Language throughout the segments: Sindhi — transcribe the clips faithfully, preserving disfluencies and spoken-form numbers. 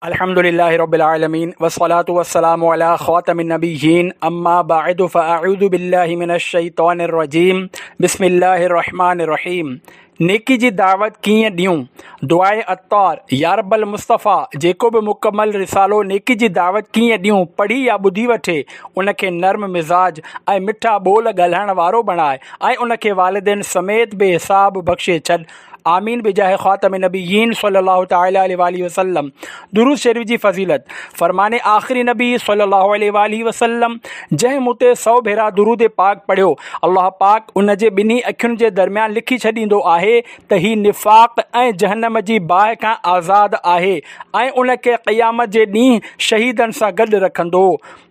अल्हम्दुलिल्लाहि रब्बिल आलमीन वस्सलातु वस्सलामु अला खातमिन नबिय्यीन अम्मा बा'दु फ़अऊज़ु बिल्लाहि मिनश शैतानिर रजीम बिस्मिल्लाहिर रहमानिर रहीम। नेकी जी दावत कीअं ॾियूं? दुआए अत्तार। या रब्बल मुस्तफ़ा, जेको बि मुकमल रिसालो नेकी जी दावत कीअं ॾियूं पढ़ी या ॿुधी वठे, उनखे नर्म मिज़ाज ऐं मिठा ॿोल ॻाल्हाइण वारो बणाए ऐं उनखे वालिदैन समेत बेहिसाब बख़्शे छॾ। आमीन बिजाह ख़ातम नबीयीन सल्लल्लाहु तआला अलैहि वसल्लम। दुरूद शरीफ जी फ़ज़ीलत। फरमाने आख़िरी नबी सल्लल्लाहु अलैहि वसल्लम, जंहिं मूं ते सौ भेरा दुरूद पाक पढ़ियो, अल्लाह पाक उन जे ॿिन्ही अखियुनि जे दरमियान लिखी छॾींदो आहे त ही निफ़ाक़ ऐं जहन्नम जी बाहि खां आज़ाद आहे ऐं उनखे क़यामत जे ॾींहुं शहीदनि सां गॾु रखंदो।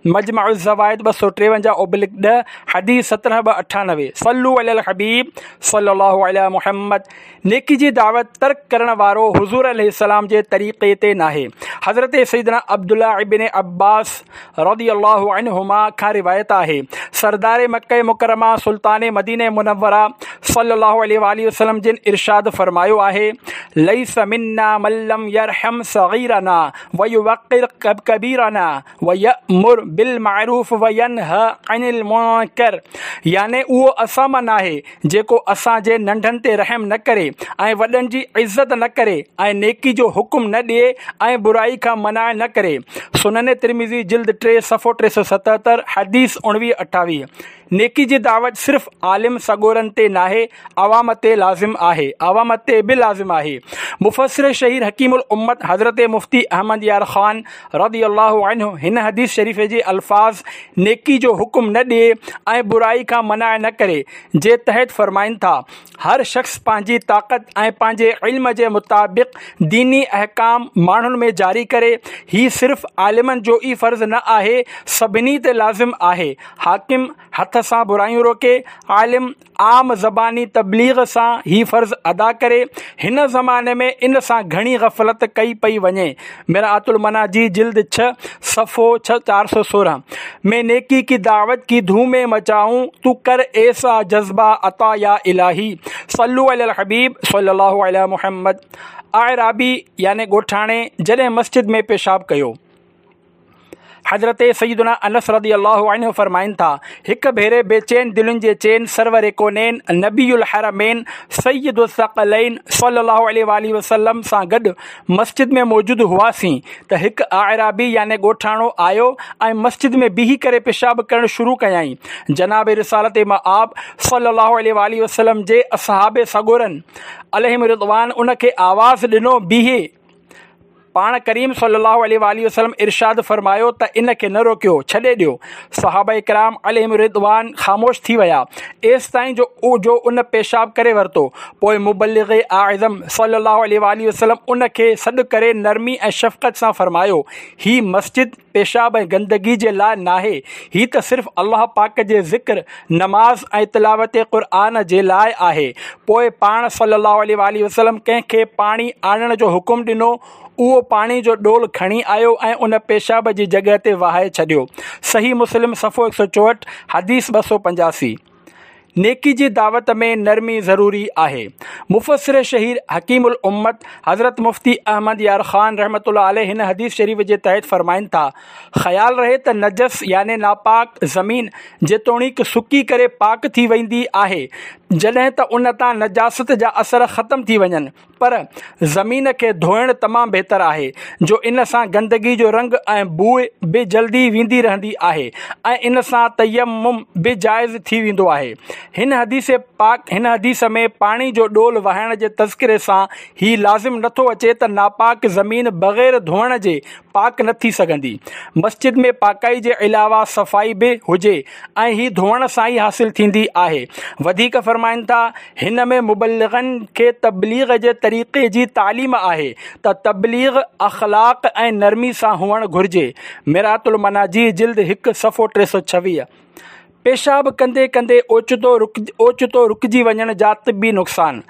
मजमा ज़वाइद ॿ सौ टेवंजाह ओब्लिक ॾह, हदीस सत्रहं ॿ अठानवे। सल्लु अलल हबीब सल्लल्लाहु अलैहि मुहम्मद। नेकी जी दावत तर्क करण वारो हुज़ूर अलैहिस्सलाम जे तरीक़े ते नाहे। हज़रत सैयदना अब्दुल्ला इब्न अब्बास रज़ियल्लाहु अन्हुमा खां रिवायत आहे, सरदार मक्का मुकर्रमा सुल्तान मदीने मुनव्वरा सल्लल्लाहु अलैहि वसल्लम जिन इरशाद फरमायो आहे, लैस मिन्ना मन लम यरहम सगीरना व युवक्किर कबीरना व यअमुर बिल मारूफ व यनहा अनिल मुनकर। याने उहो असां मां नाहे जेको असांजे नंढनि ते रहम न करे ऐं वॾनि जी इज़त न करे ऐं नेकी जो हुकुम न ॾिए ऐं बुराई खां मना न करे। सुनन तिरमिज़ी जिल्द टे सफ़ो टे सौ सतहतरि, हदीस उणिवीह अठावीह। नेकी जी दावत सिर्फ़ आलिम सगोरनि ते नाहे, अवाम ते लाज़िम आहे, अवाम ते बि लाज़िम आहे। मुफस्सिर शहीर हकीमुल उम्मत हज़रत मुफ्ती अहमद यार ख़ान रज़ियल्लाहु अन्हु हिन हदीस शरीफ़ जे अल्फ़ाज़ नेकी जो हुकुम न ॾिए ऐं बुराई खां मना न करे जे तहत फरमाइनि था, हर शख़्स पंहिंजी ताक़त ऐं पंहिंजे इल्म जे मुताबिक़ दीनी अहकाम माण्हुनि में जारी करे। ही सिर्फ़ आलिमनि जो ई फ़र्ज़ न आहे, सभिनी ते लाज़िम आहे। हाकिम हथ सां बुराइयूं रोके, आलिम आम ज़बानी तबलीग सां ही फ़र्ज़ अदा करे। हिन ज़माने में इन सां घणी गफ़लत कई पई वञे। मिरातुल मनाजी जिल्द छह सफ़ो छह चार सौ सोलह में नेकी की दावत की धूम मचाऊँ, तू कर ऐसा जज्बा अता या इलाही। सल्लु अलल हबीब सल्लल्लाहु अलैहि मुहम्मद। आयराबी यानी ॻोठाणे जॾहिं मस्जिद में पेशाब कयो। हज़रत सैयदना अनस रज़ियल्लाहु अन्हु फरमाइनि था, हिकु भेरे बेचैन दिलुनि जे चैन सरवर कोनैन नबीयुल हरमैन सैयदुल सक़लैन सल्लल्लाहु अलैहि वसल्लम सां गॾु मस्जिद में मौजूदु हुआसीं त हिकु आयराबी यानी ॻोठाणो आयो ऐं मस्जिद में बीही करे पेशाब करणु शुरू कयाईं। जनाब रिसालत मआब सल्लल्लाहु अलैहि वसल्लम जे असहाब सगोरनि अलैहिम रिज़वान उनखे आवाज़ ॾिनो, बीहे। पाण करीम सल्लल्लाहु अलैहि वसल्लम इरशाद फरमायो त इन खे न रोकियो, छॾे ॾियो। सहाबा इकराम अलैहिम रिज़वान ख़ामोश थी विया एसि ताईं जो जो उन पेशाब करे वरितो। पोइ मुबल्लिग आज़म सल्लल्लाहु अलैहि वसल्लम उनखे सॾु करे नरमी ऐं शफ़क़त सां फरमायो, ही मस्जिद पेशाब ऐं गंदगी जे लाइ नाहे, ही त सिर्फ़ अल्लाह पाक जे ज़िक्र, नमाज़ ऐं तिलावत क़ुरान जे लाइ आहे। पोइ पाण सल्लल्लाहु अलैहि वसल्लम कंहिंखे पाणी आणण जो हुकुम ॾिनो, उहो पाणी जो ॾोल खणी आयो ऐं उन पेशाब जी जॻह ते वहाए छॾियो। सही मुस्लिम सफ़ो हिकु सौ चोहठि, हदीस ॿ सौ पंजासी। नेकी जी दावत में नरमी ज़रूरी आहे। मुफस्सिर शहीर हकीमुल उम्मत हज़रत मुफ्ती अहमद यार ख़ान रहमतुल्लाह अलैह हिन हदीस शरीफ़ जे तहत फरमाइनि था, ख़्याल रहे त नजस यानी नापाक ज़मीन जेतोणीक सुकी करे पाक थी वेंदी आहे, जॾहिं त उन तां नजासत जा असर ख़त्म थी वञनि, पर ज़मीन खे धोइणु तमामु बहितर आहे, जो इन सां गंदगी जो रंग ऐं बूइ बि जल्दी वेंदी रहंदी आहे ऐं इन सां तयम्मुम बि जाइज़ थी वेंदो आहे। हिन हदीस पाक हिन हदीस में पाणी जो ॾोल वहाइण जे तज़किरे सां ही लाज़िम नथो अचे त नापाक ज़मीन बग़ैर धोइण जे पाक न थी सघंदी। मस्जिद में पाकाई जे अलावा सफ़ाई बि हुजे ऐं ही धोइण सां ई हासिल थींदी आहे। वधीक फरमाइनि था, हिन में मुबल्लिगनि खे तबलीग जे तरीक़े जी तालीम आहे त तबलीग अख़लाक़ ऐं नरमी सां हुअणु घुरिजे। मिरातुल मनाजी जिल्द हिकु सफ़ो टे सौ छवीह। पेशाब कंदे कंदे ओचितो रुक ओचितो रुकिजी वञण जा तिबी नुक़सान।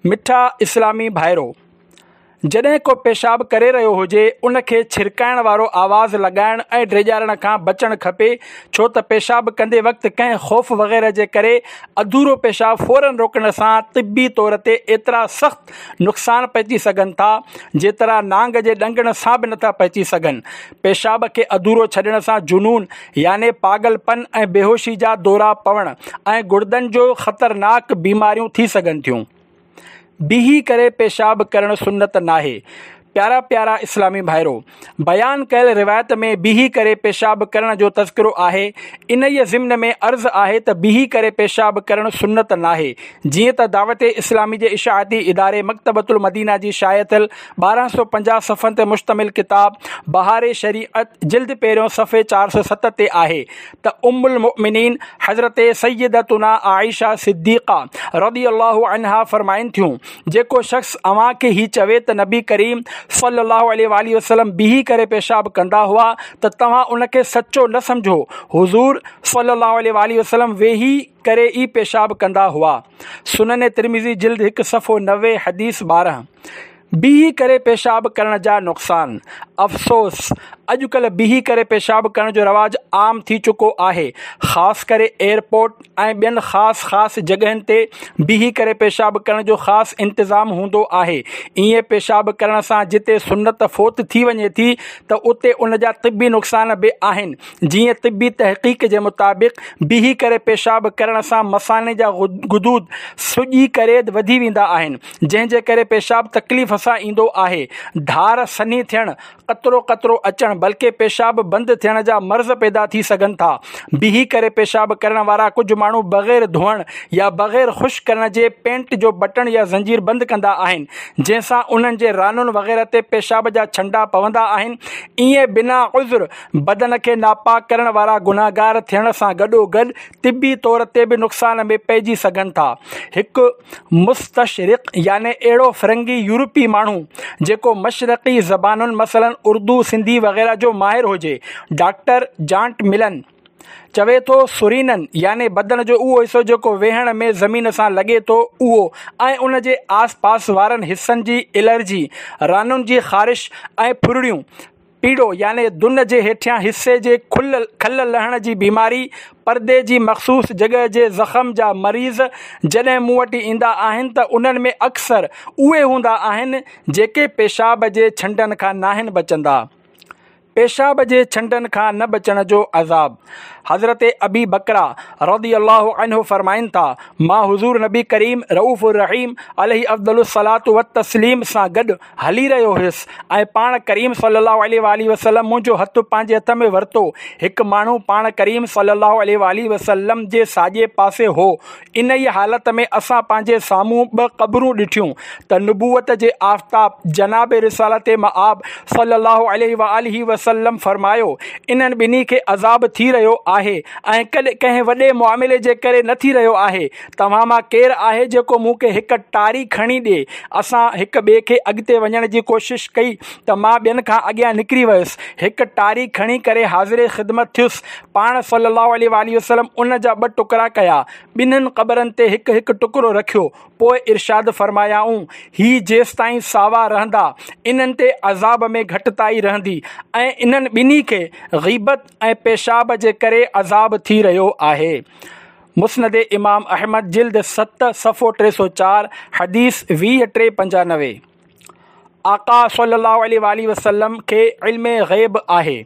मिठा इस्लामी भाइरो, جڏهن ڪو پيشاب ڪري رهيو هجي، ان کي ڇرڪائڻ وارو آواز لڳائڻ ۽ ڊيڄارڻ کان بچڻ کپي، ڇو ته پيشاب ڪندي وقت ڪنهن خوف وغيره جي ڪري اڌورو پيشاب فوراً روڪڻ سان طبي طور تي ايترا سخت نقصان پهچي سگهن ٿا، جيترا نانگ جي ڏنگڻ سان به نٿا پهچي سگهن. پيشاب کي اڌورو ڇڏڻ سان جنون يعني پاڳل پن ۽ بيهوشي جا دورا پوڻ ۽ گڙدن جو خطرناڪ بيماريون ٿي سگهن ٿيون. بيهي ڪري پيشاب ڪرڻ سنت ناهي. پيارا پيارا اسلامي ڀائرو! بيان ڪيل روايت ۾ بيهي ڪري پيشاب ڪرڻ جو تذڪرو آهي. انهيء ضمن ۾ عرض آهي ته بيهي ڪري پيشاب ڪرڻ سنت ناهي. جيئن ته دعوت اسلامي جي اشاعتي اداري مڪتبة المدينه جي شايع ٿيل ٻارهن سؤ پنجاهه صفحن تي مشتمل ڪتاب بهار شريعت جلد پهريون صفحي چار سؤ ست تي آهي ته ام المؤمنين حضرت سيدتنا عائشه صديقه رضي الله عنها فرمائن ٿيون، جيڪو شخص اوهان کي هي چوي ته نبي ڪريم صلي الله عليه واٰله وسلم بيهي ڪري پيشاب ڪندا هئا ته توهان ان کي سچو نه سمجهو، حضور صلي الله عليه واٰله وسلم ويهي ڪري ئي پيشاب ڪندا هئا. سنن ترمذي جلد هڪ صفحو نوي حديث ٻارهن. بيهي ڪري پيشاب ڪرڻ جا نقصان. افسوس! اڄڪلهه بيهي ڪري پيشاب ڪرڻ جو رواج عام ٿي چڪو آهي، خاص ڪري ايئرپورٽ ۽ ٻين خاص خاص جڳهين تي بيهي ڪري پيشاب ڪرڻ جو خاص انتظام هوندو آهي. ائين پيشاب ڪرڻ سان جتي سنت فوت ٿي وڃي ٿي ته اتي ان جا طبي نقصان به آهن، جيئن طبي تحقيق جي مطابق بيهي ڪري پيشاب ڪرڻ سان مثاني جا غدود سڄي ڪري وڌي ويندا آهن، جنهن جي ڪري پيشاب تڪليف سان ايندو آهي، ڌار سنهي ٿيڻ، قطرو قطرو اچڻ بلڪه پيشاب بند ٿيڻ جا مرض پيدا ٿي سگهن ٿا. بيهي ڪري پيشاب ڪرڻ وارا ڪجهه ماڻهو بغير ڌوئڻ يا بغير خشڪ ڪرڻ جي پينٽ جو بٽڻ يا زنجير بند ڪندا آهن، جنهن سان انهن جي رانن وغيره تي پيشاب جا ڇنڊا پوندا آهن. ائين بنا عذر بدن کي ناپاڪ ڪرڻ وارا گنهگار ٿيڻ سان گڏوگڏ طبي طور تي به نقصان ۾ پئجي سگهن ٿا. هڪ مستشرق يعني اهڙو فرنگي يورپي ماڻهو جيڪو مشرقي زبانن مثلاً اردو، سنڌي وغيره جو ماهر هجي، ڊاڪٽر جانٽ ملن چوي ٿو سرينن يعني بدن جو اهو حصو جيڪو ويهڻ ۾ زمين سان لڳي ٿو اهو ۽ ان جي آس پاس وارن حصن جي الرجي، رانن جي خارش ۽ ڦرڙيون، پيڙو يعني دن جي هيٺيان حصي جي کل کل لهڻ جي بيماري، پردي جي مخصوص جڳهه جي زخم جا مريض جڏهن مون وٽ ايندا آهن ته انهن ۾ اڪثر اهي هوندا آهن جيڪي پيشاب جي ڇنڊن کان ناهن بچندا. پيشاب جي ڇنڊن کان نه بچڻ جو عذاب. حضرت ابي بڪره رضي الله عنه فرمائن ٿا، مان حضور نبي ڪريم رؤف الرحيم عليه افضل الصلوة والتسليم سان گڏ هلي رهيو هيس ۽ پاڻ ڪريم صلي الله عليه واٰله وسلم منهنجو هٿ پنهنجي هٿ ۾ ورتو. هڪ ماڻهو پاڻ ڪريم صلي الله عليه واٰله وسلم جي ساڄي پاسي هو. انهيء حالت ۾ اسان پنهنجي سامهون ٻه قبرون ڏٺيون ته نبوت جي آفتاب جناب رسالت مآب صلي الله عليه واٰله وسلم فرمايو، انهن ٻنهي کي عذاب ٿي رهيو آهي ۽ ڪنهن وڏي معاملي جي ڪري نه ٿي رهيو آهي. توهان مان ڪير آهي جيڪو مون کي هڪ ٽاري کڻي ڏئي؟ اسان هڪ ٻئي کي اڳتي وڃڻ جي ڪوشش ڪئي ته مان ٻين کان اڳيان نڪري ويس. هڪ ٽاري کڻي ڪري حاضر خدمت ٿيس. پاڻ صلّي اللّٰه عليه واٰله وسلّم ان جا ٻه ٽڪرا ڪيا. ٻنهين قبرن تي هڪ هڪ ٽڪرو رکيو. پوء ارشاد فرمايائون، هي جيستائين ساوا رهندا، انهن تي عذاب ۾ گهٽتائي رهندي ۽ انهن ٻنهي کي غيبت ۽ پيشاب جي ڪري عذاب ٿي رهيو آهي. مسند امام احمد جلد ست صفحو ٽي سؤ چار حديث ويهه ٽي پنجانوي. آقا صلي الله عليه واٰله وسلم کي علم غيب آهي.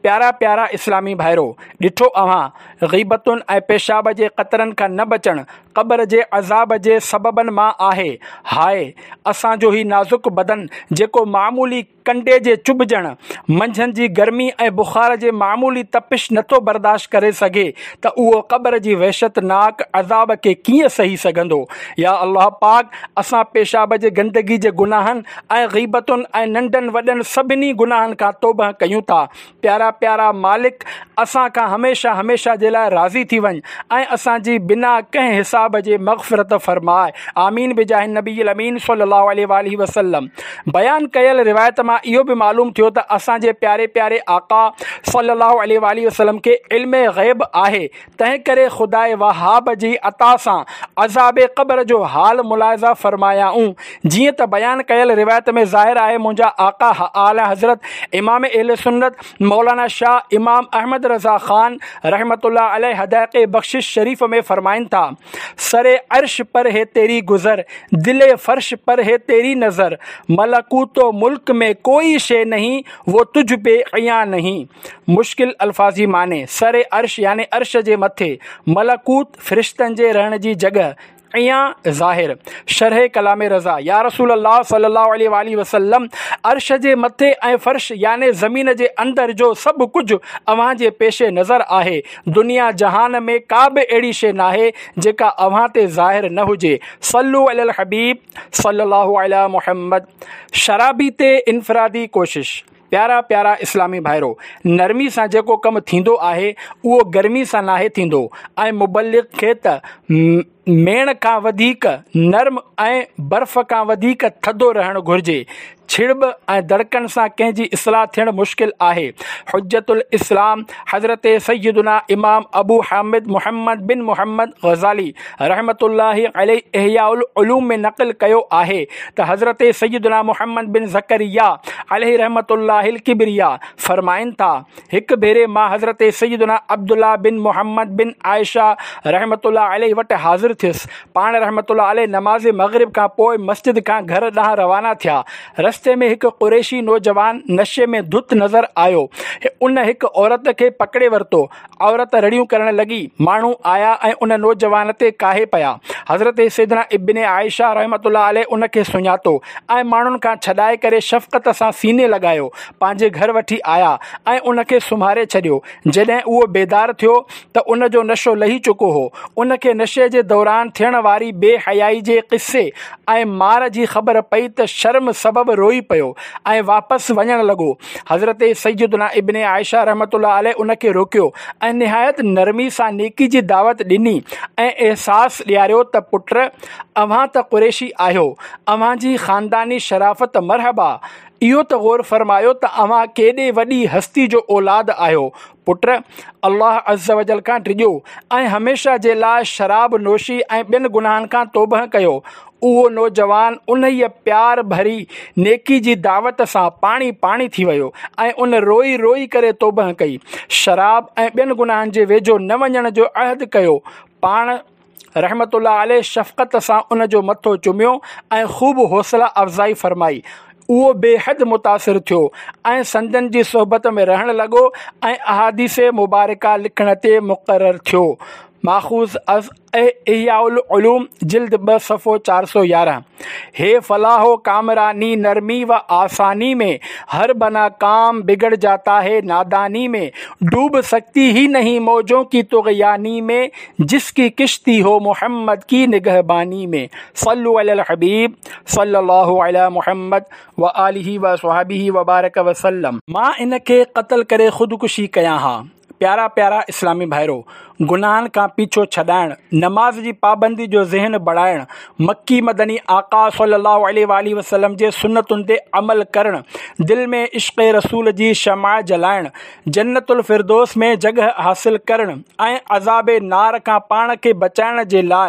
پيارا پيارا اسلامي ڀائرو! ڏٺو اوهان غيبتن ۽ پيشاب جي قطرن کان نه بچڻ قبر جي عذاب جي سببن مان آهي. هاء! اسان جو هي نازڪ بدن جيڪو معمولي ڪنڊي جي چڀجڻ، منجهند جي گرمي ۽ بخار جي معمولي تپش نٿو برداشت ڪري سگهي ته اهو قبر جي وحشتناڪ عذاب کي ڪيئن سهي سگهندو؟ يا الله پاڪ اسان پيشاب جي گندگي جي گناهن ۽ غيبتن ۽ ننڍن وڏن سڀني گناهن کان توبه ڪيون ٿا. پيارا پيارا مالڪ اسان کان هميشه هميشه جي لاء راضي ٿي وڃ ۽ اسان جي بنا ڪنهن حساب عذاب جي مغفرت فرماء. آمين بجاه النبي الامين صلي الله عليه واله وسلم. بيان ڪيل روايت مان اهو به معلوم ٿيو ته اسان جي پياري پياري آقا صلي الله عليه واله وسلم کي علم غيب آهي، تنهن ڪري خداء وهاب جي عطا سان عذاب قبر جو حال ملاحظه فرمايائون. جيئن ته بيان ڪيل روايت ۾ ظاهر آهي، منهنجا آقا اعليٰ حضرت امام اهل سنت مولانا شاهه امام احمد رضا خان رحمة الله عليه حدائق بخشش شريف ۾ فرمائن ٿا، سر عرش پر هي تيري گذر، دل فرش پر هي تيري نظر، ملڪوت و ملڪ ۾ ڪوئي شيء نهين، وو تجھ پي عيان نهين. مشڪل الفاظي معني، سر عرش يعني عرش جي مٿي، ملڪوت فرشتن جي رهڻ جي جڳهه، عيان ظاهر. شرح ڪلام رضا، يا رسول الله صلي الله عليه واله وسلم، عرش جي مٿي ۽ فرش يعني زمين جي اندر جو سڀ ڪجهه اوهان جي پيش نظر آهي. دنيا جهان ۾ ڪا به اهڙي شيء ناهي جيڪا اوهان تي ظاهر نه هجي. صلو علی الحبيب صلي الله علي محمد. شرابي تي انفرادي ڪوشش. پيارا پيارا اسلامي ڀائرو، نرمي سان جيڪو ڪم ٿيندو آهي اهو گرمي سان ناهي ٿيندو ۽ مبلغ کي ته ميڻ کان وڌيڪ نرم ۽ برف کان وڌيڪ ٿڌو رهڻ گهرجي. ڇڙٻ ۽ دڙڪن سان ڪنهن جي اصلاح ٿيڻ مشڪل آهي. حجت الاسلام حضرت سيدنا امام ابو حامد محمد بن محمد غزالي رحمة الله عليه احياء العلوم ۾ نقل ڪيو آهي ته حضرت سيدنا محمد بن زڪريا عليه رحمة الله الڪبريا فرمائن ٿا، هڪ ڀيري مان حضرت سيدنا عبدالله بن محمد بن عائشه رحمة الله عليه وٽ حاضر ٿيس. پاڻ رحمة الله عليه نماز مغرب کان پوء مسجد کان گهر ڏانهن روانا ٿيا. رستي ۾ هڪ قريشي نوجوان نشي ۾ ڌت نظر آيو. ان هڪ عورت کي پڪڙي ورتو. عورت رڙيون ڪرڻ لڳي. ماڻهو آيا ۽ ان نوجوان تي ڪاهي پيا. حضرت سيدنا ابن عائشه رحمة الله عليه ان کي سڃاتو ۽ ماڻهن کان ڇڏائي ڪري شفقت سان سيني لڳايو. پنهنجي گهر وٺي آيا ۽ ان کي سمهاري ڇڏيو. جڏهن اهو بيدار ٿيو ته ان جو نشو لهي چڪو هو. ان کي نشي جي دوران ٿيڻ واري بي حيائي جي قصي ۽ مار جي خبر پئي ته شرم سبب روئي پيو ۽ واپس وڃڻ لڳو. حضرت سيدنا ابن عائشه رحمة الله عليه ان کي روڪيو ۽ نهايت نرمي سان نيڪي جي دعوت ڏني ۽ احساس ڏياريو ته پٽ، اوهان ته قريشي آهيو، اوهان جي خانداني شرافت مرحبا، اهو ته غور فرمايو ته اوهان ڪيڏي وڏي هستي جو اولاد آهيو. پٽ، الله عزوجل کان ڊڄو ۽ هميشه جي لاء شراب نوشي ۽ ٻين گناهن کان توبهه ڪيو. اهو نوجوان انهيء پيار ڀري نيڪي جي دعوت سان پاڻي پاڻي ٿي ويو ۽ ان روئي روئي ڪري توبهه ڪئي. شراب ۽ ٻين گناهن جي ويجهو نه وڃڻ جو عهد ڪيو. پاڻ رحمة الله عليه شفقت سان ان جو مٿو چميو ۽ خوب حوصله افزائي فرمائي. اهو بي حد متاثر ٿيو ۽ سندن جي صحبت ۾ رهڻ لڳو ۽ احاديث مبارڪه لکڻ تي مقرر ٿيو. ماخوذ از احياء العلوم جلد ٻه صفحو چار سؤ يارهن. هي فلاح و ڪامراني نرمي و آساني ۾ هر بنا ڪام بگڙ جاتا هي ناداني ۾ ڊوب سڪتي هي نهين موجون ڪي طغياني ۾ جس ڪي ڪشتي هو محمد ڪي نگهباني ۾. صلو علی الحبيب صلي الله علي محمد وآله وصحبه وبارڪ وسلم. مان ان کي قتل ڪري خودڪشي ڪيان ها. پيارا پيارا اسلامي ڀائرو، گناهن کان پيڇو ڇڏائڻ، نماز جي پابندي جو ذهن بڻائڻ، مڪي مدني آقا صلي الله عليه واٰله وسلم جي سنتن تي عمل ڪرڻ، دل ۾ عشق رسول جي شمع جلائڻ، جنت الفردوس ۾ جڳهه حاصل ڪرڻ ۽ عذاب نار کان پاڻ کي بچائڻ جي لاء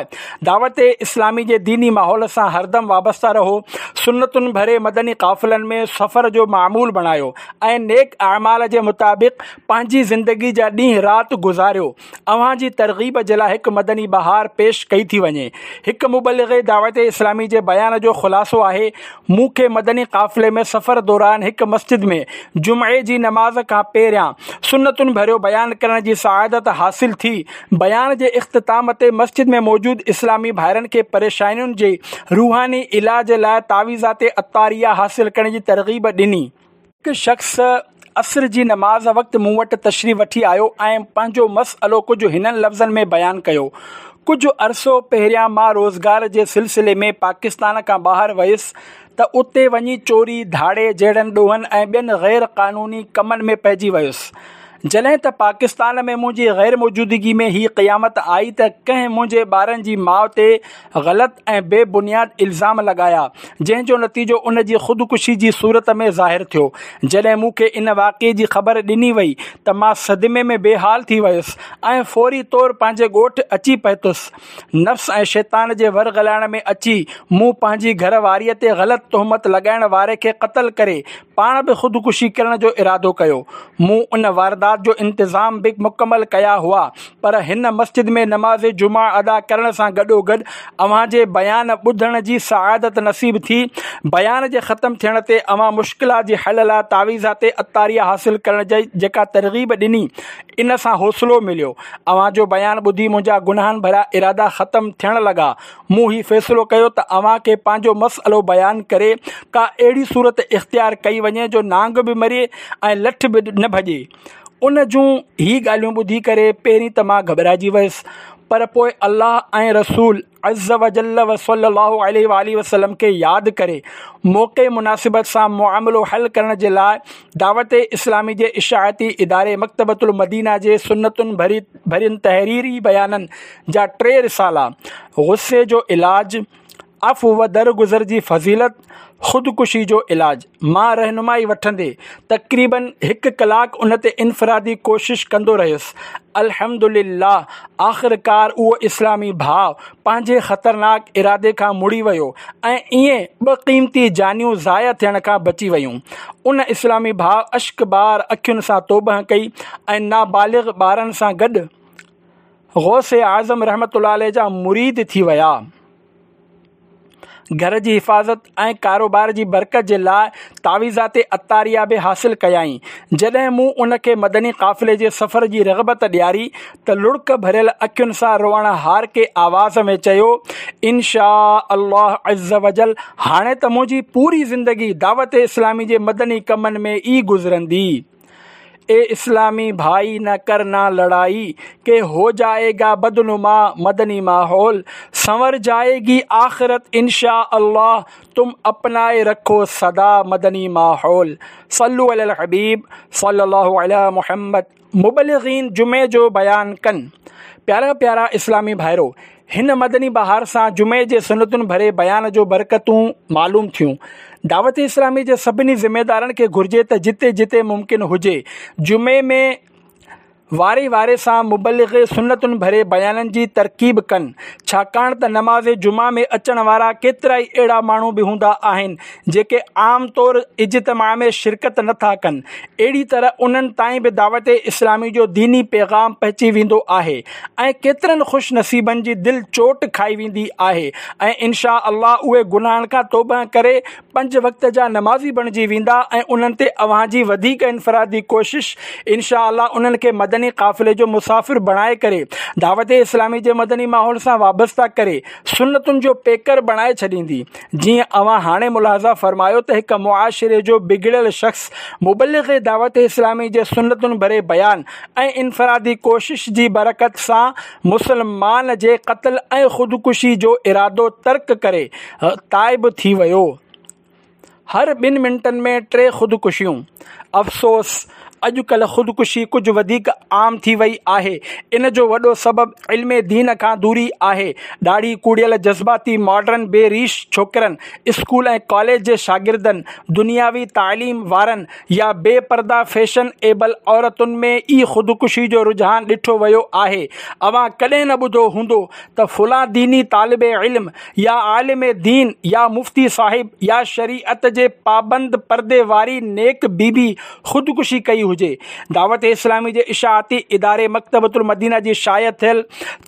دعوت اسلامي جي ديني ماحول سان هردم وابسته رهو، سنتن ڀري مدني قافلن ۾ سفر جو معمول بڻايو ۽ نيڪ اعمال جي مطابق پنهنجي زندگي جا ڏينهن رات گذاريو. اوهان جي ترغيب جي لاء هڪ مدني بهار پيش ڪئي ٿي وڃي. هڪ مبلغ دعوت اسلامي جي بيان جو خلاصو آهي، مون کي مدني قافلي ۾ سفر دوران هڪ مسجد ۾ جمعي جي نماز کان پهريان سنتن ڀريو بيان ڪرڻ جي سعادت حاصل ٿي. بيان جي اختتام تي مسجد ۾ موجود اسلامي ڀائرن کي پريشانين جي روحاني علاج لاء تعويذات عطاريه حاصل ڪرڻ جي ترغيب ڏني. هڪ شخص عصر جي نماز وقت مون وٽ تشريف وٺي آيو ۽ پنهنجو مسئلو ڪجهه هنن لفظن ۾ بيان ڪيو، ڪجهه عرصو پهريان مان روزگار جي سلسلي ۾ پاڪستان کان ٻاهر ويس ته اتي وڃي چوري، ڌاڙي جهڙن ڏوهن ۽ ٻين غير قانوني ڪمن ۾ پئجي ويس. جڏهن ته پاڪستان ۾ منهنجي غير موجودگي ۾ هي قيامت آئي ته ڪنهن منهنجي ٻارن جي ماء تي غلط ۽ بي بنياد الزام لڳايا، جنهن جو نتيجو ان جي خودڪشي جي صورت ۾ ظاهر ٿيو. جڏهن مون کي ان واقعي جي خبر ڏني وئي ته مان صدمي ۾ بي حال ٿي ويس ۽ فوري طور پنهنجي ڳوٺ اچي پهتس. نفس ۽ شيطان جي ورغلائڻ ۾ اچي مون پنهنجي گهر واريء تي غلط تهمت لڳائڻ واري کي قتل ڪري پاڻ به خودڪشي ڪرڻ جو ارادو ڪيو. مون ان واردات جو انتظام به مڪمل ڪيا هئا، پر هن مسجد ۾ نماز جمعه ادا ڪرڻ سان گڏوگڏ اوهان جي بيان ٻڌڻ جي سعادت نصيب ٿي. بيان جي ختم ٿيڻ تي اوهان مشڪلات جي حل لاء تعويذات عطاريه حاصل ڪرڻ جي جيڪا ترغيب ڏني، ان سان حوصلو مليو. اوهان جو بيان ٻڌي منهنجا گناهن ڀريا ارادا ختم ٿيڻ لڳا. مون هي فيصلو ڪيو ته اوهان کي پنهنجو مسئلو بيان ڪري ڪا اهڙي صورت اختيار ڪئي وڃي جو نانگ به مري ۽ لٺ به نه ڀڄي. ان جون هي ڳالهيون ٻڌي ڪري پهرين ته مان گهٻرائجي ويس، پر پوء الله ۽ رسول عز وجل وصلي الله عليه واٰله وسلم کي ياد ڪري موقعي مناسبت سان معاملو حل ڪرڻ جي لاء دعوت اسلامي جي اشاعتي اداري مڪتبة المدينه جي سنتن ڀرين تحريري بيانن جا ٽي رسالا غصي جو علاج، عفو و درگذر جي فضيلت، خودڪشي جو علاج مان رهنمائي وٺندي تقريباً هڪ ڪلاڪ ان تي انفرادي ڪوشش ڪندو رهيس. الحمدلله آخرڪار اهو اسلامي ڀاء پنهنجي خطرناڪ ارادي کان مڙي ويو ۽ ائين ٻه قيمتي جانيون ضايع ٿيڻ کان بچي ويون. ان اسلامي ڀاء اشڪبار اکين سان توبهه ڪئي ۽ نابالغ ٻارن سان گڏ غوث اعظم رحمة الله عليه جا مريد ٿي ويا. گهر جي حفاظت ۽ ڪاروبار جي برڪت جي لاء تعويذات عطاريه به حاصل ڪيائين. جڏهن مون ان کي مدني قافلي جي سفر جي رغبت ڏياري ته لڙڪ ڀريل اکين سان روئڻهارڪي آواز ۾ چيو، ان شآء الله عزّوجلّ هاڻي ته منهنجي پوري زندگي دعوت اسلامي جي مدني ڪمن ۾ ئي گذرندي. اي اسلامي ڀائي نه ڪرنا لڙائي ڪي هو جائي گا بدنما مدني ماحول سنور جائي گي آخرت ان شاء الله تم اپنائي رکو سدا مدني ماحول صلو علي الحبيب صلي الله علي محمد. مبلغين جمعي جو بيان ڪن. پيارا پيارا اسلامي ڀائرو! هن مدني بهار سان جمعي جي سنتن ڀري بيان جو برڪتون معلوم ٿيون. دعوت اسلامي جي سڀني ذميدارن کي گهرجي ته جتي جتي ممڪن هجي جمعي ۾ واري واري سان مبلغ سنتن ڀري بيانن جي ترڪيب ڪن، ڇاڪاڻ ته نماز جمعه ۾ اچڻ وارا ڪيترائي اهڙا ماڻهو به هوندا آهن جيڪي عام طور اجتماع ۾ شرڪت نه ٿا ڪن، اهڙي طرح انهن تائين به دعوت اسلامي جو ديني پيغام پهچي ويندو آهي ۽ ڪيترن خوش نصيبن جي دل چوٽ کائي ويندي آهي ۽ ان شاء الله اهي گناهن کان توبه ڪري پنج وقت جا نمازي بڻجي ويندا ۽ انهن تي اوهان جي وڌيڪ انفرادي ڪوشش ان شاء الله انهن کي مدني قافلي جو مسافر بڻائي ڪري دعوت اسلامي جي مدني ماحول سان وابسته ڪري سنتن جو پيڪر بڻائي ڇڏيندي. جيئن اوهان هاڻي ملاحظه فرمايو ته هڪ معاشري جو بگڙيل شخص مبلغ دعوت اسلامي جي سنتن ڀري بيان ۽ انفرادي ڪوشش جي برڪت سان مسلمان جي قتل ۽ خودڪشي جو ارادو ترڪ ڪري تائب ٿي ويو. هر ٻن منٽن ۾ ٽي خودڪشيون. افسوس! اڄڪلهه خودڪشي ڪجهه وڌيڪ عام ٿي وئي آهي. ان جو وڏو سبب علم دين کان دوري آهي. ڏاڙهي ڪوڙيل جذباتي ماڊرن بي ريش ڇوڪرن، اسڪول ۽ ڪاليج جي شاگردن، دنياوي تعليم وارن يا بي پرده فيشن ايبل عورتن ۾ ئي خودڪشي جو رجحان ڏٺو ويو آهي. اوهان ڪڏهن نه ٻڌو هوندو ته فلان ديني طالب علم يا عالم دين يا مفتي صاحب يا شريعت جي پابند پردي واري نيڪ بي بي خودڪشي ڪئي هجي. دعوت اسلامي جي اشاعتي اداري مڪتبة المدينه جي شايع ٿيل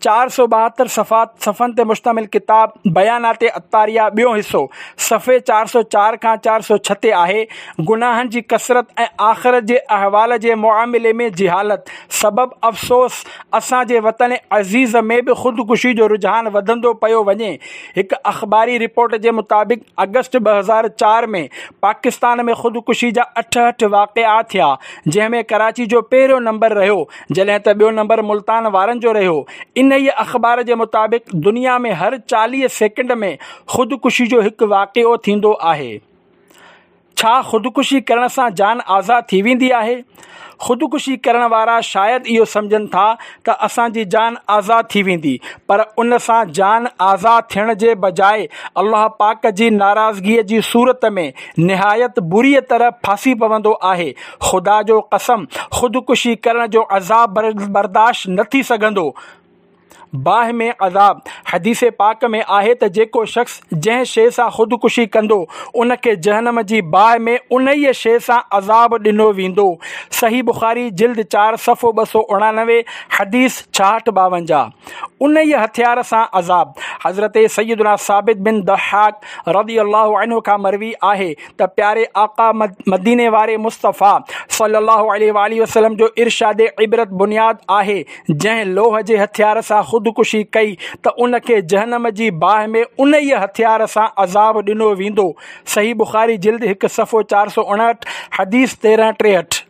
چار سؤ ٻاهتر صفحن تي مشتمل ڪتاب بيانات عطاريه ٻيون حصو صفحي چار سؤ چار کان چار سؤ ڇهه تي آهي. گناهن جي ڪثرت ۽ آخرت جي احوال جي معاملي ۾ جهالت سبب افسوس اسان جي وطن عزيز ۾ به خودڪشي جو رجحان وڌندو پيو وڃي. هڪ اخباري رپورٽ جي مطابق آگسٽ ٻه هزار چار ۾ پاڪستان ۾ خودڪشي جا اٺهٺ واقعا ٿيا جنهن ۾ ڪراچي جو پهريون نمبر رهيو جڏهن ته ٻيو نمبر ملتان وارن جو رهيو. انهيء اخبار جي مطابق دنيا ۾ هر چاليهه سيڪنڊ ۾ خودڪشي جو هڪ واقعو ٿيندو آهي. ڇا خودڪشي ڪرڻ سان جان آزاد ٿي ويندي آهي؟ خودڪشي ڪرڻ وارا شايد اهو سمجهن ٿا ته اسان جي جان آزاد ٿي ويندي، پر ان سان جان آزاد ٿيڻ جي بجاء الله پاڪ جي ناراضگيء جي صورت ۾ نهايت بريء طرح ڦاسي پوندو آهي. خدا جو قسم، خودڪشي ڪرڻ جو عذاب برداشت نه ٿي سگهندو. باهه ۾ عذاب. حديث پاڪ ۾ آهي ته جيڪو شخص جنهن شيء سان خودڪشي ڪندو ان کي جهنم جي باهه ۾ انهيء شيء سان عذاب ڏنو ويندو. صحيح بخاري جلد چار صفحو ٻه سؤ اڻانوي حديث ڇاهٺ ٻاونجاهه. انهيء هٿيار سان عذاب. حضرت سيدنا ثابت بن ضحاڪ رضي الله عنه کان مروي آهي ته پياري آقا مديني واري مصطفيٰ صلي الله عليه واٰله وسلم جو ارشاد عبرت بنياد آهي، جنهن لوهه جي هٿيار سان خودڪشي ڪئي ته ان کي جهنم جي باهه ۾ انهيء هٿيار سان عذاب ڏنو ويندو. صحيح بخاري جلد هڪ صفحو چار سؤ اڻهٺ حديث تيرهن ٽيهٺ.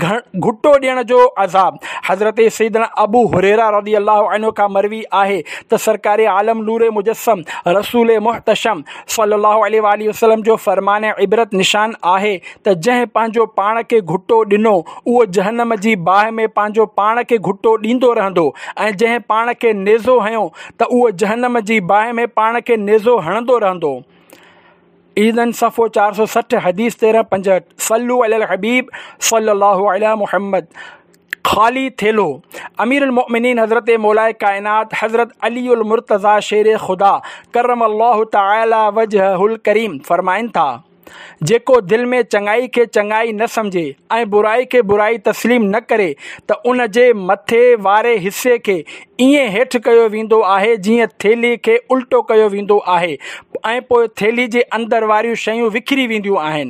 گهٽو ڏيڻ جو عذاب. حضرت سيدنا ابو هريره رضي الله عنه کان مروي آهي ته سرڪار عالم نور مجسم رسول محتشم صلي الله عليه واٰله وسلم جو فرمان عبرت نشان آهي ته جنهن پنهنجو پاڻ کي گهٽو ڏنو اهو جهنم جي باهه ۾ پنهنجو پاڻ کي گهٽو ڏيندو رهندو ۽ جنهن پاڻ کي نيزو هنيو ته اهو جهنم جي باهه ۾ پاڻ کي نيزو هڻندو رهندو. ايذن صفحو چار سؤ سٺ حديث تيرهن پنجهٺ. صلو علی الحبيب صلي الله علي محمد. خالي ٿيلهو. امير المؤمنين حضرت مولائي ڪائنات حضرت علي المرتضيٰ شير خدا ڪرم الله تعالي وجهه الڪريم فرمائن ٿا، جيڪو دل ۾ چڱائي کي چڱائي نه سمجهي ۽ برائي کي برائي تسليم نه ڪري ته ان جي مٿي واري حصي کي ائين هيٺ ڪيو ويندو آهي جيئن ٿيلهي کي الٽو ڪيو ويندو آهي ۽ پوء ٿيلهي جي اندر واريون شيون وکري وينديون آهن.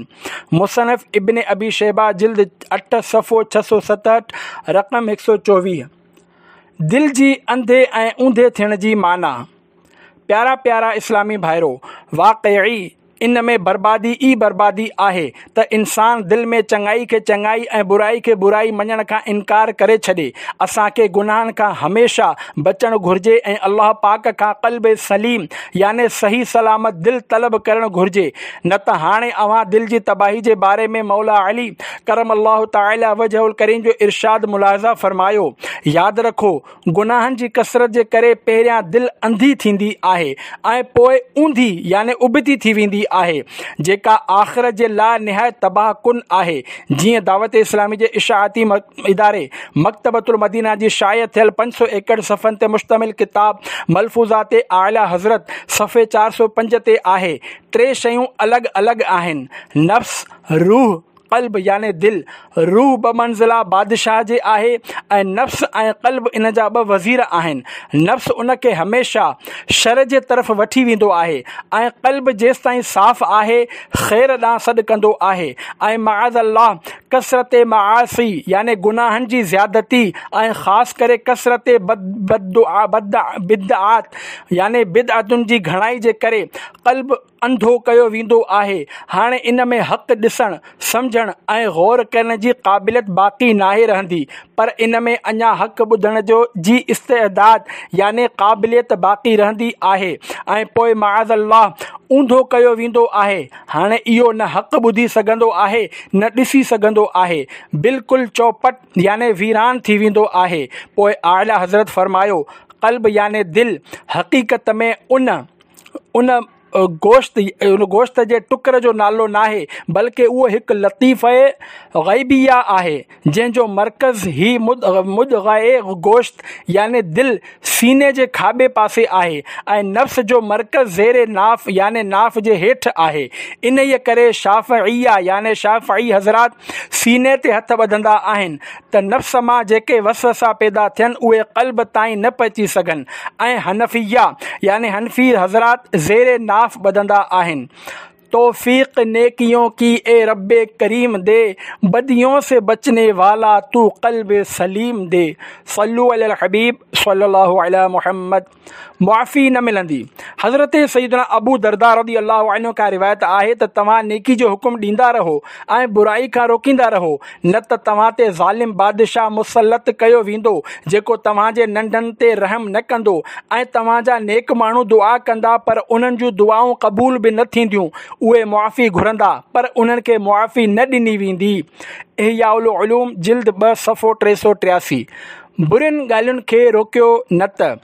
مصنف ابن ابي شيبه جلد اٺ صفحو ڇهه سؤ ستهٺ رقم هڪ سؤ چوويهه. دل جي انڌي ۽ اونڌي ٿيڻ جي معنيٰ. پيارا پيارا اسلامي ڀائرو! واقعي ان ۾ بربادي ئي بربادي آهي ته انسان دل ۾ چڱائي کي چڱائي ۽ برائي کي برائي مڃڻ کان انڪار ڪري ڇڏي. اسان کي گناهن کان هميشه بچڻ گهرجي ۽ الله پاڪ کان قلب سليم يعني صحيح سلامت دل طلب ڪرڻ گهرجي. نه ته هاڻي اوهان دل جي تباهي جي باري ۾ مولا علي ڪرم الله تعالي وجهه الڪريم جو ارشاد ملاحظه فرمايو، ياد رکو! گناهن جي ڪثرت جي ڪري پهريان دل انڌي ٿيندي آهي ۽ پوء اونڌي يعني ابتي ٿي ويندي آهي، جيڪا آخرت جي لاء نهايت تباهه ڪن آهي. جيئن دعوت اسلامي جي اشاعتي اداري مڪتبة المدينه جي شايع ٿيل پنج سؤ ايڪهٺ صفحن تي مشتمل ڪتاب ملفوظات اعليٰ حضرت صفحي چار سؤ پنج تي آهي، ٽي شيون الڳ الڳ آهن، نفس، روح، قلب يعني دل، روح بمنزله بادشاهه جي آهي ۽ نفس ۽ قلب ان جا ٻه وزير آهن. نفس ان کي هميشه شر جي طرف وٺي ويندو آهي ۽ قلب جيستائين صاف آهي خير ڏانهن سڏ ڪندو آهي ۽ معاذ الله ڪثرت معاصي يعني گناهن جي زيادتي ۽ خاص ڪري ڪثرت بدعات يعني بدعتن جي گهڻائي جي ڪري قلب انڌو ڪيو ويندو آهي، هاڻي ان ۾ حق ڏسڻ، سمجهڻ ۽ غور ڪرڻ جي قابليت باقي ناهي رهندي، پر ان ۾ اڃا حق ٻڌڻ جو جي استعداد يعني قابليت باقي رهندي آهي ۽ پوء معاذ الله اونڌو ڪيو ويندو آهي، هاڻي اهو نه حق ٻڌي سگهندو آهي نه ڏسي سگهندو آهي، بلڪل چوپٽ يعني ويران ٿي ويندو آهي، پوء اعليٰ حضرت فرمايو، قلب يعني دل حقيقت ۾ ان. ان گوشت ان گوشت جي ٽڪر جو نالو ناهي بلڪه اهو هڪ لطيفه غيبيه آهي جنهن جو مرڪز هي مضغه گوشت يعني دل سيني جي کاٻي پاسي آهي ۽ نفس جو مرڪز زير ناف يعني ناف جي هيٺ آهي انهيء ڪري شافعيه يعني شافعي حضرات سيني تي هٿ ٻڌندا آهن ته نفس مان جيڪي وسوسا پيدا ٿين اهي قلب تائين نه پهچي سگهن ۽ حنفيه يعني حنفي حضرات زير ناف ٻڌندا آهن. توفيق نيڪيون ڪي اي رب ڪريم the بديون سي بچني والا تو قلب سليم the صلو علي الحبيب صلي الله علي محمد. معافي نه ملندي. حضرت سيدنا ابو درداء رضي الله عنه کان روايت آهي ته توهان نيڪي جو حڪم ڏيندا رهو ۽ برائي کان روڪيندا رهو نه ته توهان تي ظالم بادشاهه مسلط ڪيو ويندو جيڪو توهان جي ننڍن تي رحم نه ڪندو ۽ توهان جا نيڪ ماڻهو دعا ڪندا پر انهن جون دعائون قبول به نه ٿينديون اهي معافي گهرندا پر انهن کي معافي نه ڏني ويندي. احياء العلوم جلد ٻه صفحو ٽي سؤ ٽياسي. برين ڳالهين کي روڪيو نه ته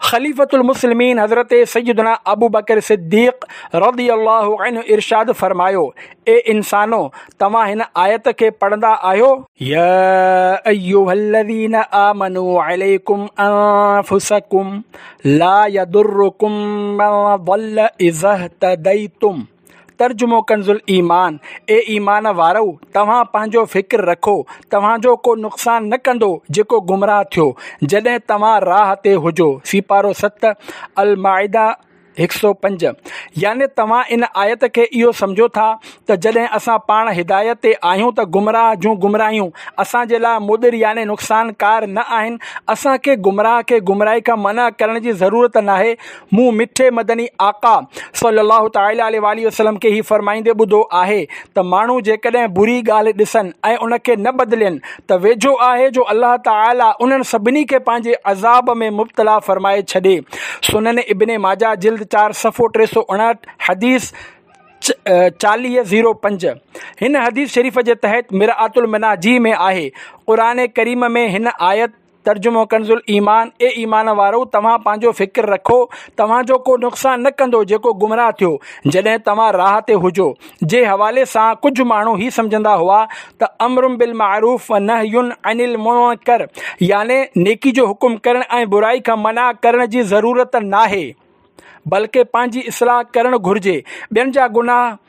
خليفة المسلمين حضرت سيدنا ابو بڪر صديق رضي الله عنه ارشاد فرمايو، اي انسانو، توهان هن آيت کي پڙهندا آهيو؟ يا ايها الذين آمنوا عليكم انفسكم لا يضركم من ضل اذا اهتديتم. ترجمو ڪنز الايمان، اي ايمان وارؤ، توهان پنهنجو فڪر رکو، توهان جو ڪو نقصان نه ڪندو جيڪو گمراهه ٿيو جڏهن توهان راهه تي هجو. سيپارو ست، المائده هڪ سؤ پنج. يعني توهان ان آيت کي اهو سمجهو ٿا ته جڏهن اسان پاڻ هدايت تي آهيون ته گمراهه جون گمراهيون اسان جي لاء مضر يعني نقصانڪار نه آهن. اسان کي گمراهه کي گمراهي کان منع ڪرڻ جي ضرورت ناهي. مون مٺي مدني آقا صلي الله تعالٰي عليه واٰله وسلم کي هي فرمائيندي ٻڌو آهي ته ماڻهو جيڪڏهن بري ڳالهه ڏسن ۽ ان کي نه بدلين ته ويجهو آهي جو الله تعالٰي انهن سڀني کي پنهنجي عذاب ۾ مبتلا فرمائي ڇڏي. سنن ابن ماجه جلد چار صفحو ٽي سؤ اڻهٺ، حديث چاليهه زيرو پنج. هن حديث شريف جي تحت مرآة المناجي ۾ آهي. قرآن ڪريم ۾ هن آيت ترجمو ڪنز الايمان، اي ايمان وارؤ، توهان پنهنجو فڪر رکو، توهان جو ڪو نقصان نه ڪندو جيڪو گمراهه ٿيو جڏهن توهان راهه تي هجو. جي حوالي سان ڪجهه ماڻهو هي سمجهندا هئا ته امر بالمعروف و نهي عن المنڪر يعني نيڪي جو حڪم ڪرڻ ۽ برائي کان منع ڪرڻ جي ضرورت ناهي، بلڪه پنهنجي اصلاح ڪرڻ گهرجي. ٻين جا گناهه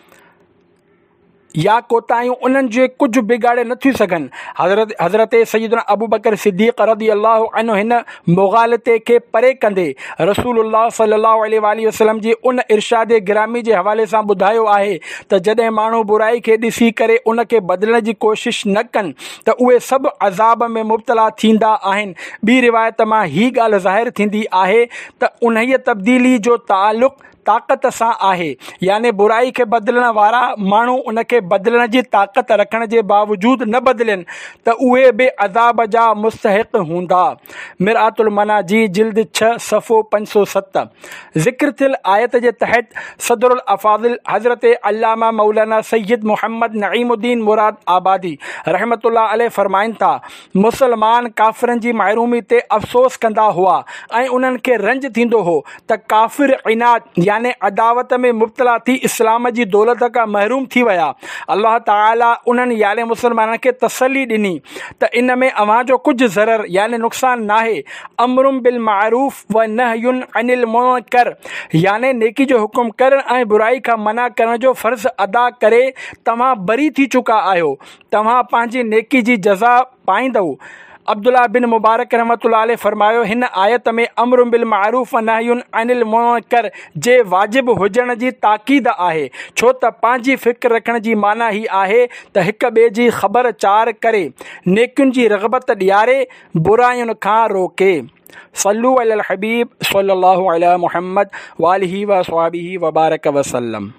يا ڪوتاهيون انهن جي ڪجهه بگاڙي نٿيون سگهن. حضرت حضرت سيدنا ابو بڪر صديق رضي الله عنه هن مغالطي کي پري ڪندي رسول الله صلي الله عليه واٰله وسلم جي ان ارشاد گرامي جي حوالي سان ٻڌايو آهي ته جڏهن ماڻهو برائي کي ڏسي ڪري ان کي بدلڻ جي ڪوشش نه ڪن ته اهي سڀ عذاب ۾ مبتلا ٿيندا آهن. ٻي روايت مان هي ڳالهه ظاهر ٿيندي آهي ته انهيء تبديلي جو تعلق طاقت سان آهي، يعني برائي کي بدلڻ وارا ماڻهو ان کي بدلڻ جي طاقت رکڻ جي باوجود نه بدلين ته اهي به عذاب جا مستحق هوندا. مرآة المناجي جلد ڇهه صفحو پنج سؤ ست. ذڪر ٿيل آيت جي تحت صدر الافاضل حضرت علامه مولانا سيد محمد نعيم الدين مراد آبادي رحمة الله عليه فرمائن ٿا، مسلمان ڪافرن جي محرومي تي افسوس ڪندا هئا ۽ انهن کي رنج ٿيندو هو ته ڪافر عناد يعني عداوت ۾ مبتلا ٿي اسلام جي دولت کان محروم ٿي ويا. الله تعالي انهن يعني مسلمانن کي تسلي ڏني ته ان ۾ اوهان جو ڪجهه ضرر يعني نقصان ناهي. امر بالمعروف و نهي عن المنڪر يعني نيڪي جو حڪم ڪرڻ ۽ برائي کان منع ڪرڻ جو فرض ادا ڪري توهان بري ٿي چڪا آهيو، توهان پنهنجي نيڪي جي جزا پائيندؤ. عبدالله بن مبارڪ رحمة الله عليه فرمايو، هن آيت ۾ امر بالمعروف و نهي عن المنڪر جي واجب هجڻ جي تاڪيد آهي، ڇو ته پنهنجي فڪر رکڻ جي معنيٰ هي آهي ته هڪ ٻئي جي خبر چار ڪري، نيڪين جي رغبت ڏياري، براين کان روڪي. صلو علی الحبيب صلي الله علی محمد وآله وصحبه وبارڪ وسلم.